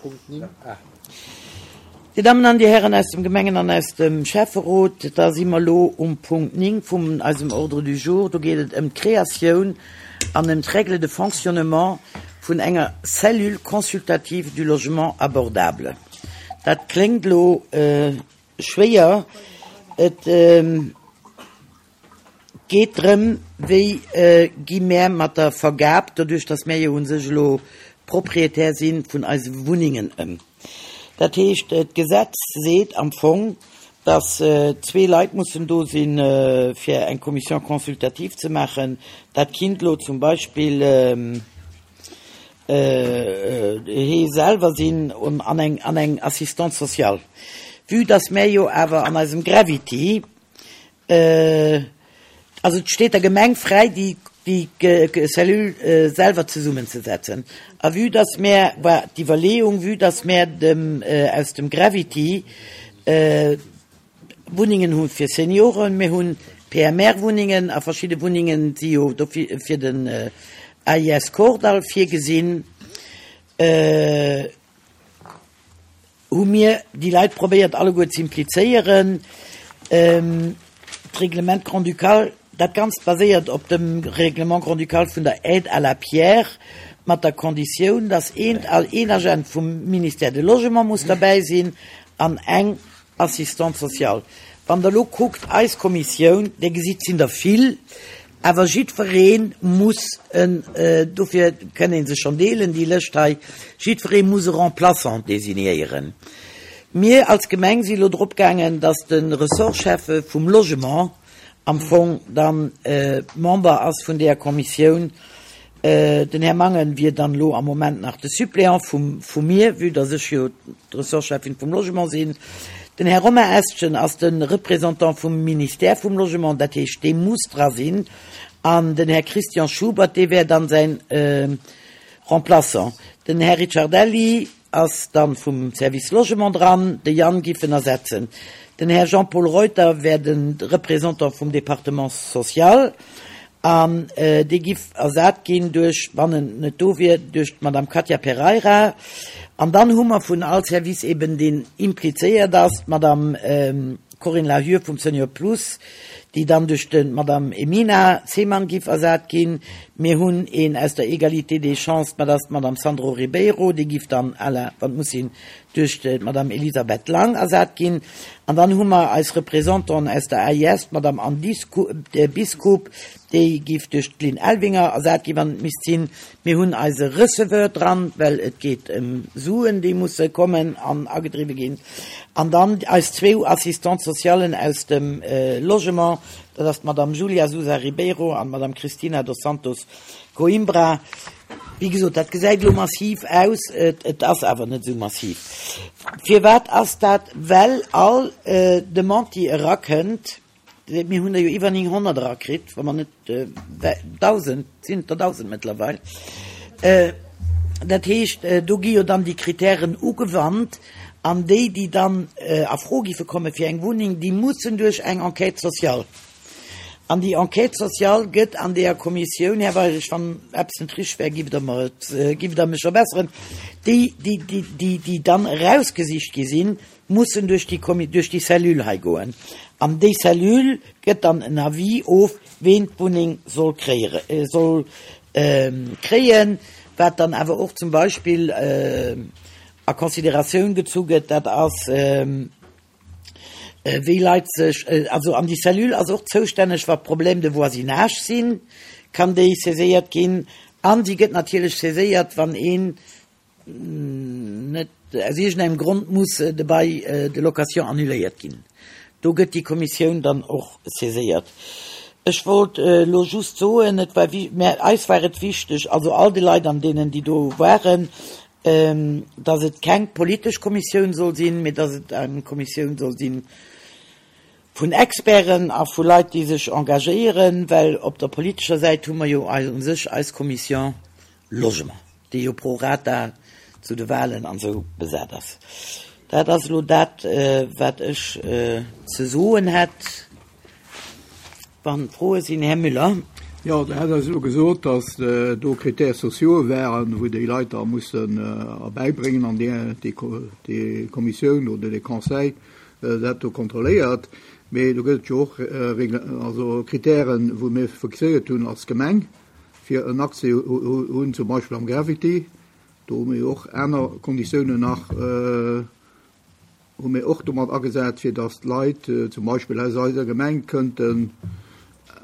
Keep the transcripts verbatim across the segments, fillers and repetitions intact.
Punkt néng. Ah. Dir Dammen an Dir Hären aus dem Gemengen an aus dem Schäfferot, da si mer elo um Punkt néng vum eisem Ordre du jour. Do geet et ëm d'Kreatioun an ëm d'Règles de fonctionnement vun enger Cellule consultative du logement abordable. Dat kléngt elo schwéier. Et geet drëm, wéi gi mär mat der Vergab, doduerch datt mär jo u sech elo Propriétaire si vun eise Wunnengen, ëm. Dat heescht, d'Gesetz seet am Fong, datt zwee Leit mussen do sinn, fir eng Commission consultative ze maachen. Dat kinnt elo zum Beispill hee selwer sinn an eng, an eng Assistante sociale. Vue datt mär jo awer an eisem Gravity, also et steet der Gemeng fräi, déi, déi Cellule selwer zesummenzesetzen. A vue datt mär, war d'Iwwerleeung, vue datt mär dem, aus dem Gravity Wunnengen hu fir Senioren, mir hunn P M R-Wunnengen a verschidde Wunnengen si jo dofir fir den A I S Kordall virgesinn, hu mir déi Leit probéiert alleguer ze implizéieren. D'Règlement grand-ducal, dat Ganzt baséiert op dem Règlement grand-ducal vun der Aide à la pierre, mat der Konditioun, datt een, een Agent vum Ministère de Logement muss derbäi sinn an eng Assistante sociale. Wann Der elo kuckt, eis Kommissioun, Dir gesitt, sinn der vill, awer jiddweree muss en, dofir kënn ee sech schonn deelen, déi Lëscht hei, jiddweree muss e Remplaçant designéieren. Mir als Gemeng si elo drop gaangen, datt de Ressortschäffe vum Logement am Fong dann Member ass vun deeër Kommissioun. Den Här Mangen wier dann elo am Moment nach de Suppléant vum, vu mir, vue datt ech jo d'Ressortcheffin vum Logement sinn. Den Här Romain Estgen ass de Représentant vum Ministère vum Logement, dat heescht, dee muss dra sinn. An den Här Christian Schubert, dee wär dann säin Remplaçant. Den Här Ricciardelli ass dann vum Service Logement dran, de Yann giff en ersetzen. Den Här Jean-Paul Reuter wär de Représentant vum Département social an dee giff ersat ginn duerch, wann en net do wier, duerch d'Madame Katia Pereira. An dann hu mer vun all Service eben, deen implizéiert ass, d'Madame Corinne Lahur vum Senior Plus, déi dann duerch d'Madame Emina Zeman giff ersat ginn. Mir hunn een aus der Égalité des chances, dat ass d'Madame Sandro Ribeiro, déi giff dann à la, wann et muss sinn, duerch d'Madame Elisabeth Lang ersat ginn. An dann hu mer eis Représentanten aus der A I S, d'Madame Anne Biskup, déi giff duerch d'Lynn Elvinger ersat ginn, wann et misst sinn. Mir hunn eise Receveur dran, well et geet ëm Suen, déi musse kommen an agedriwwe ginn. An dann eis zwou Assistantes socialen aus dem Logement, dat ass d'Madame Julia Sousa Ribeiro an d'Madame Cristina dos Santos Coimbra. Wéi gesot, dat gesäit elo massiv aus, et ass awer net esou massiv. Firwat ass dat? Well all Demande, déi erakënnt, mir hunn der jo iwwer nénghonnert erakritt, wa mer net dausend, sinn et der dausend mëttlerweil, dat heescht, do gi jo dann déi Kritären ugewannt an déi, déi dann a Fro giffe komme fir eng Wunneng, déi mussen duerch eng Enquête sociale. An déi Enquête sociale gëtt an deeër Kommissioun, Här Weirich, wann eppes net richteg wär, giff Der mer et, giff Der mech verbesseren, déi, déi, déi, déi, déi dann erausgesicht gi sinn, mussen duerch déi Kommi, duerch déi Cellule hei goen. An déi Cellule gëtt dann en Avis of, ween d'Wunneng soll kréiere, soll kréien, wat dann awer och zum Beispill a Consideratioun gezu gëtt, dat ass, wéi Leit sech, also an déi Cellule ass och zoustänneg, wa Problèmes de voisinage sinn, kann déi saiséiert ginn. An si gëtt natierlech saiséiert, wann een net aus iergendengem Grond muss de Bail de location annuléiert ginn. Do gëtt déi Kommissioun dann och saiséiert. Ech wollt elo just soen, et war, mä eis war et wichteg, also all de Leit an deenen, déi do waren, dass et keng politesch Kommissioun soll sinn, mee dass et eng Kommissioun soll sinn vun Experten a vu Leit, déi sech engagéieren, well op der politescher Säit hu mer jo u sech eis Commission Logement, déi jo pro rata zu de Wahlen an esou besat ass. Dat ass elo dat, wat ech ze soen hätt. Wann Froe sinn, Här Müller. Jo, Der hat eis elo gesot, dass do Critères sociaux wären, wou déi Leit da mussen erbäibréngen an déi Kommissioun oder dee Conseil dat do kontrolléiert. Mee do gëtt et jo och also Kritären, wou mir fixéiert hunn als Gemeng, fir en Accès hunn, zum Beispill am Gravity. Do hu mir jo och aner Konditiounen nach. Hu mir och domat agesat, fir datt d'Leit zum Beispill aus eiser Gemeng kënnten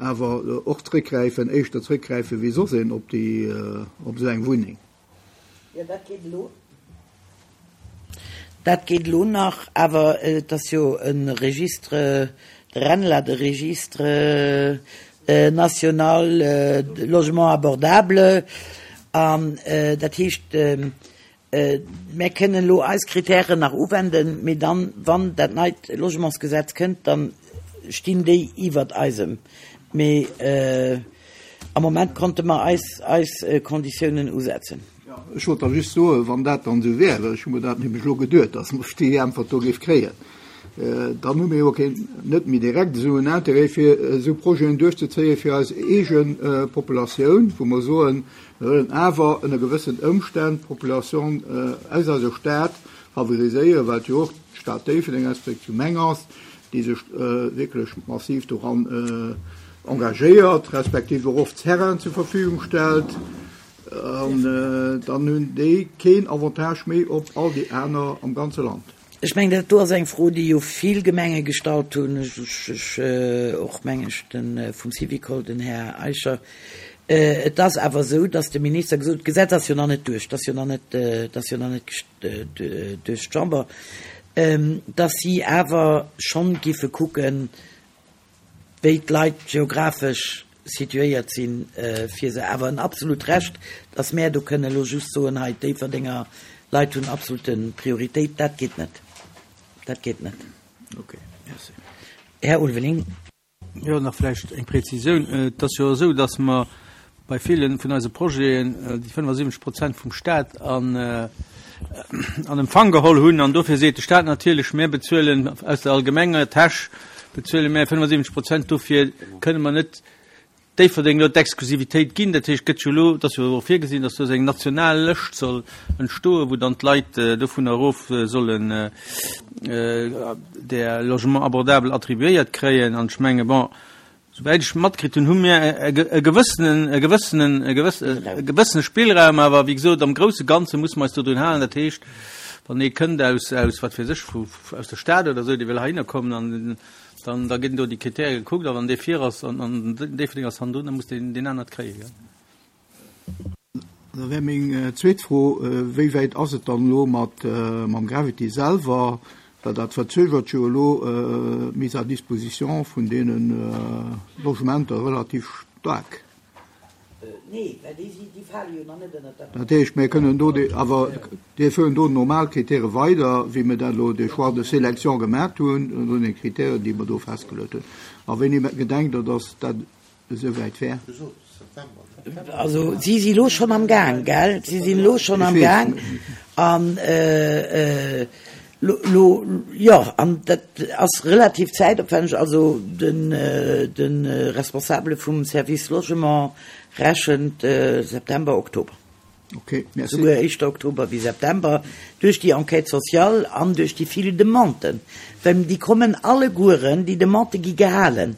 awer och zréckgräifen, éischter zréckgräifen wéi soss een op déi, op esou eng Wunneng. Jo, dat geet elo. Dat geet elo nach, awer et ass jo e Registre, de RENLA, de Registre national de logement abordable, an dat heescht, Mär kënnen elo eis Kritären nach uwenden, mee dann, wann dat neit Logementsgesetz kënnt, da stinn déi iwwert eisem. Mee am Moment konnte mer eis eis Konditiounen usetzen. Jo, ech wollt da just soen, wann dat dann esou wär, well ech hu mer dat nämlech elo geduet, dass mer déi Äntwert do géif kréien, dann hu mir jo keen, net méi direkt esou en Intérêt, fir esou Projeten duerchzezéien fir eis eege Populatioun, wou mer soen, Mir wëllen awer ënner gewëssen Ëmstänn d'Population aus eiser Stad favoriséieren, well et jo och d'Stad Déifferdeng respektiv d'Gemeng ass, déi sech wierklech massiv doran engagéiert, respektiv och oft Terrainen zur Verfügung stellt. An dann hunn déi keen Avantage méi op all déi aner am ganze Land. Ech mengen, dat do ass eng Fro, déi jo vill Gemenge gestallt hunn, ech och, meng ech, de vum Syvicol, den Här Eicher. Et ass awer esou, datt de Minister gesot huet, d'Gesetz ass jo nach net duerch, et ass jo nach net, et ass jo nach net duerch d'Chamber, datt si awer schonn giffe kucken, wéi d'Leit geographesch situéiert sinn, fir se awer en absolut Recht, datt mär do kënnen elo just soen, hei d'Déifferdenger Leit hunn absolute Prioritéit, dat geet net. Dat geet net. Okay, merci. Här Ulveling. Jo, nach vläicht eng Präzisioun. Et ass jo esou, datt mer bei ville vun eise Projeten déi fënnefasiwwenzeg Prozent vum Stat an an Empfang geholl hunn. An dofir seet de Stat natierlech, Mir bezuelen aus der allgemenger Täsch bezuele mir fënnefasiwwenzeg Prozent, dofir kënne mer net Déifferdeng elo d'Exklusivitéit ginn. Dat heescht, et gëtt jo elo, et ass jo och virgesinn, datt do esou eng national Lëscht soll entstoen, wou dann d'Leit dovunner erof sollen där Logement abordable attribuéiert kréien. An ech menge, bon, souwäit ech matkritt hunn, hu mir e gewëssenen, e gewëssenen, e gewëssene Spillraum, awer wéi gesot, am grousse Ganze musse mer eis dodrun halen. Dat heescht, wann ee kënnt aus, aus wat weess ech, vu, aus der Stad oder esou, dee wëll heihinner kommen an Dann, da ginn do déi Kritäre gekuckt a wann dee vir ass an, an Déifferdeng ass hannendrun, da muss deen, deen anert kréien, gell. Da wär meng zweet Fro, Wéi wäit ass et dann elo mat, mam Gravity selwer? Well dat verzögert jo elo d'Mise à disposition vun deene Logementer relativ staark. Nee, well déi si, déi fale jo nach net ënnert dat. Dat heescht, mir kënnen do déi, awer déi fueren do normal Kritäre weider, wéi mir dat elo, de Choix de sélection gemaat hunn, no den Kritären, déi mer do festgeluet hunn. A wéini gedenkt Der, dass dat esouwäit wär? Also si si elo schonn am Gaang, gell? Si sinn elo schonn am Gaang an Lo, jo, an dat ass relativ zäitopwänneg. Also den, de Responsabele vum Service Logement rechent September, Oktober. Okay, merci. Souguer éischter Oktober wéi September, duerch déi Enquête sociale an duerch déi vill Demanden. Well déi kommen allegueren, déi Demandë gi gehalen.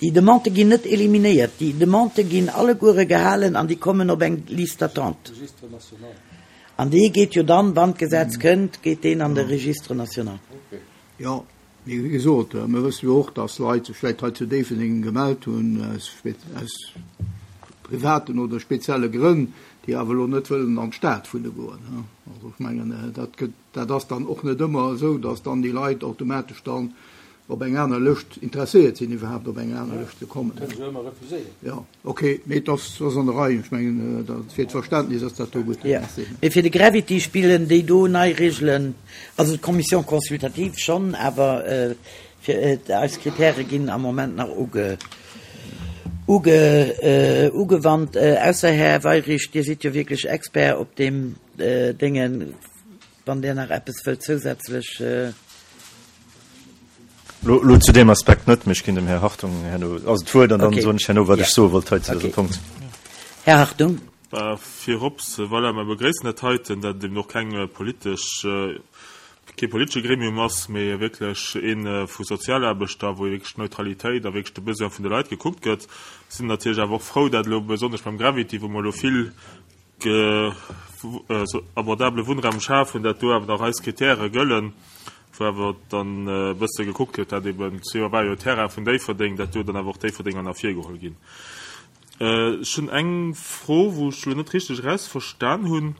Déi Demandë ginn net eliminéiert, déi Demandë ginn alleguere gehalen an déi kommen op eng Liste d'attente. An dee geet jo dann, wann d'Gesetz kënnt, geet deen an de Registre national. Jo, mee wéi gesot, mir wësse jo och, dass Leit sech vläicht hei zu Déifferdeng gemellt hunn aus aus privaten oder spezielle Grënn, déi awer elo net wëllen an d'Stad wunne goen. Also ech mengen, dat gëtt, dat ass dann och net ëmmer esou, dass dann déi Leit automatesch dann op eng aner Lëscht interesséiert sinn, iwwerhaapt op eng aner Lëscht ze kommen. Kënne se ëmmer refuséieren. Jo, ok, mee et ass, ass an der Rei. Ech mengen, dat, fir d'Verständnis ass dat do gutt. Jo, Merci. mee fir de Gravity spillen déi do nei Regelen, also d'Commission consultative schonn, awer fir eis Kritäre ginn am Moment nach uge, uge, ugewannt. Ausser, Här Weyrich, Dir sidd jo wierklech Expert op deem Déngen, wann Dir nach eppes wëllt zousätzlech. Lo zu deem Aspekt net, mee ech ginn dem Här Hartung herno also d'Wuert an dann soen ech herno, wat ech soe wollt hei zu dësem Punkt. Här Hartung. Virops, voilà, mer begréissen dat heiten, dat et eben och keng politesch, kee politesche Gremium ass, mee wierklech ee vu Sozialaarbechter, wou wierklech d'Neutralitéit a wierklech de Besoin vun de Leit gekuckt gëtt. Sinn natierlech awer och frou, dat elo besonnesch beim Gravity, wou mer elo vill abordabele Wunnraum schafen, dat do awer nach eis Kritäre gëllen, wou awer dann e bësse gekuckt gëtt, dat eben, zwee war jo Terrain vun Déifferdeng, dat do dann awer och Déifferdeng an ervirgeholl ginn. Ech hunn eng Fro, wou ech elo net richteg erausverstan hunn,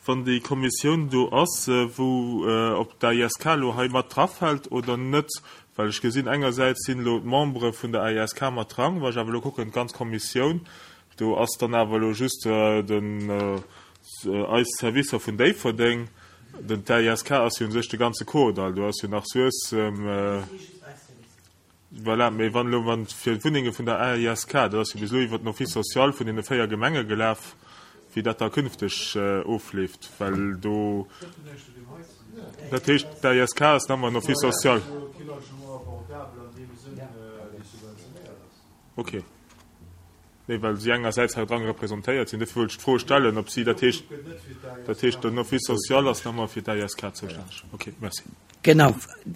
wann déi Kommissioun do ass, wou, ob d'AISK elo hei mat drafält oder net, well ech gesinn, engersäits sinn elo d'Membere vun der AISK mat dran, wa ech awer elo kucken, d'ganz Kommissioun, do ass dann awer elo just den, eis Servicer vun Déifferdeng, den d'AISK ass jo u sech de ganze Kordall, do ass jo nach Suessem. Voilà, mee wann elo, wann fir d'Wunnenge vun der AISK, dat ass jo bis elo iwwert den Office social vun deene véier Gemenge gelaf, wéi dat da künfteg ofleeft, well do, dat heescht, d'AISK ass nach ëmmer en Office social. Okay. Nee, well si engersäits hei dran representéiert sinn. Dofir wollt ech d'Fro stellen, ob si, dat heescht, dat heescht, den Office social ass nach ëmmer fir d'AISK zoustänneg. Okay, merci. Genau.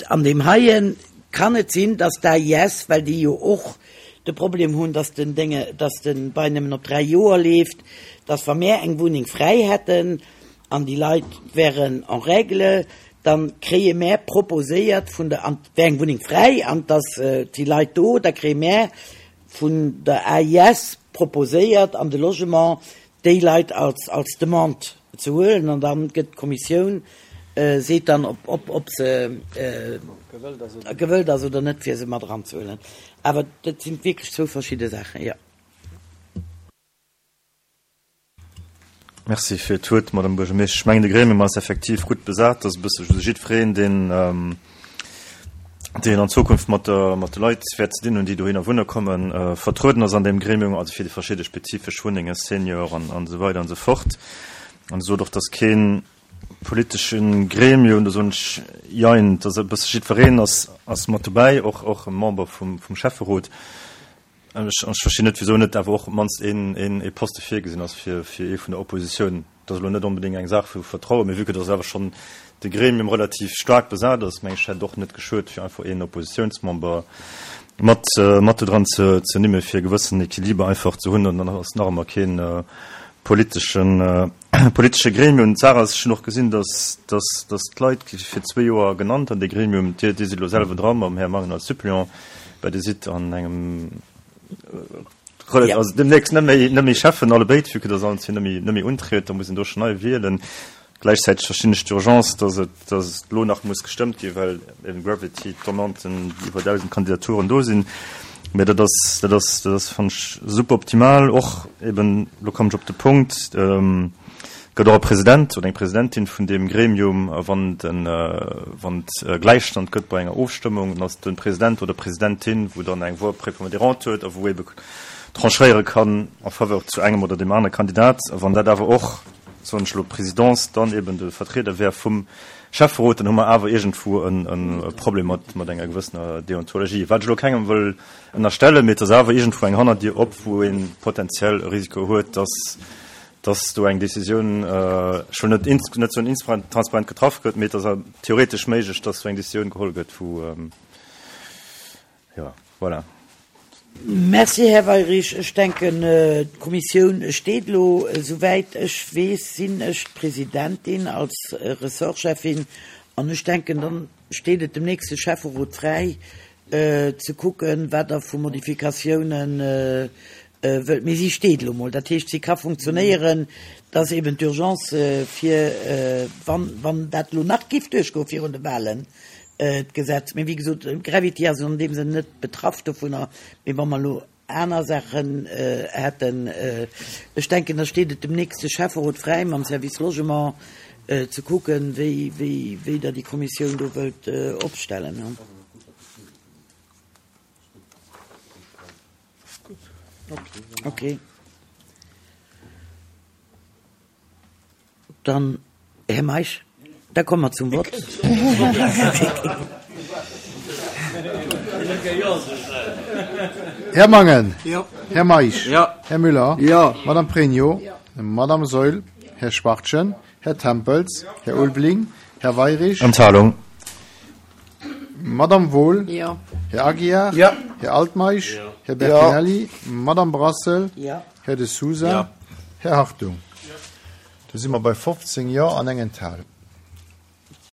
An deem heie kann et sinn, dass d'AIS, well déi jo och de Problem hunn, dass den Dénge, dass de Bail nëmmen op dräi Joer leeft, dass wa mär eng Wunneng fräi hätten an déi Leit wären en règle, dann kréie mär proposéiert vun der, an et wär eng Wunneng fräi an dass déi Leit do, da kréie mär vun der A I S proposéiert an de Logement déi Leit als als Demande ze huelen an dann gëtt d'Kommissioun seet dann ob ob ob se gewëllt ass oder net fir se mat eranzehuelen. Awer dat sinn wierklech zwou verschidde Saachen, jo. Merci fir d'Wuert, Madame Buergermeeschtesch. Ech mengen, de Gremium ass effektiv gutt besat. Dat ass e bësse jiddwereen, deen, deen an Zukunft mat der, mat de Leit wäert ze dinn hunn, déi dohinner wunne kommen, vertrueden ass an deem Gremium, also fir déi verschidde spezifesch Wunnengen, Senior an, an esou weider an esou fort. An Dir sot och, dass kee politesche Gremium, do soen ech Jein, dass e bësse jiddwereen ass, ass mat dobäi, och, och e Member vum, vum Schäfferot. An ech, ech verstinn net, wisou net awer och op d'mannst een, een, ee Poste virgesinn ass fir, fir ee vun der Oppositioun. Dat ass elo net onbedéngt eng Saach vu Vertrauen, mee vue que dass awer schonn de Gremium relativ staark besat ass, meng ech, hätt et och net geschuet, fir einfach een Oppositiounsmember mat, mat do dran ze, ze nimme fir e gewëssenen Equiliber einfach ze hunn. An dann ass nach ëmmer keen politeschen, politesche Gremium. D'Saach ass, ech hunn och gesinn, dass, dass, dass d'Leit gi fir zwee Joer genannt an dee Gremium. Dir, Dir sidd elo selwer dra mam Här Mangen als Suppléant, mä Dir sidd an engem ja. Also demnächst net méi, net méi Cheffen alle béid, vu que dass allen zwee net méi, net méi untriet, da muss een do schon nei wielen. Gläichzäiteg verstinn ech d'Urgence, dass et, dass et lo nach muss gestëmmt ginn, well eben Gravity, d'Demanden, iwwer dausend Kandidaturen do sinn. Mä dat ass, dat ass, dat ass, fannen ech, super optimal. Och eben, lo kommen ech op de Punkt, ähm, gëtt och e President oder eng Presidentin vun deem Gremium, a wann den, wann et Gläichstand gëtt bei enger Ofstëmmung, dann ass de President oder Presidentin, wou dann eng Voix prépondérante huet a wou ebe tranchéiere kann en faveur zu engem oder deem anere Kandidat. A wann dat awer och, soen ech elo, d'Presidence dann eben de Vertrieder wär vum Schäfferot, dann hu mer awer iergendwou e Problem mat, mat enger gewëssener Deontologie, wat ech elo kengem wëll ënnerstellen, mee et ass awer iergendwou eng Hannerdier op, wou ee potenziell e Risiko huet, dass, dass do eng Décisioun, ech wëll net net soen intransparent getraff gëtt, mee et ass theoretesch méiglech, dass do eng Décisioun geholl gëtt, wou, jo, voilà. Merci, Här Weyrich. Ech denken, d'Kommissioun steet elo. Esouwäit ech weess, sinn ech d'Presidentin als Ressortcheffin an ech denken, dann steet et dem nächste Schäfferot fräi, ze kucken, wat Der vu Modifikatiounen wëllt. Mee si steet elo mol. Dat heescht, si ka funktionéieren. Et ass eben d'Urgence fir, wann, wann dat elo nach géif duerchgoen virun de Wahlen, d'Gesetz. Mee wéi gesot, Gravity ass an deem Sënn net betraff dovunner. Mee wa mer elo aner Saachen hätten, ech denken, da steet et dem nächste Schäfferot fräi, mam Service Logement ze kucken, wéi, wéi, wéi Der déi Kommissioun do wëllt opstellen. Okay. Dann, Här Meisch, da komme mer zum Vott. Här Mangen. Jo. Här Meisch. Jo. Här Müller. Jo. Madame Pregno. Madame Saeul. Här Schwachtgen. Här Tempels. Här Ulveling. Här Weirich. Enthalung. Madame Wohl. Jo. Här Aguiar. Jo. Här Altmeisch. Här Bertinelli. Madame Brassel. Jo. Här De Sousa. Jo. Här Hartung. Do si mer bei fofzéng Jo an eng Enthalung.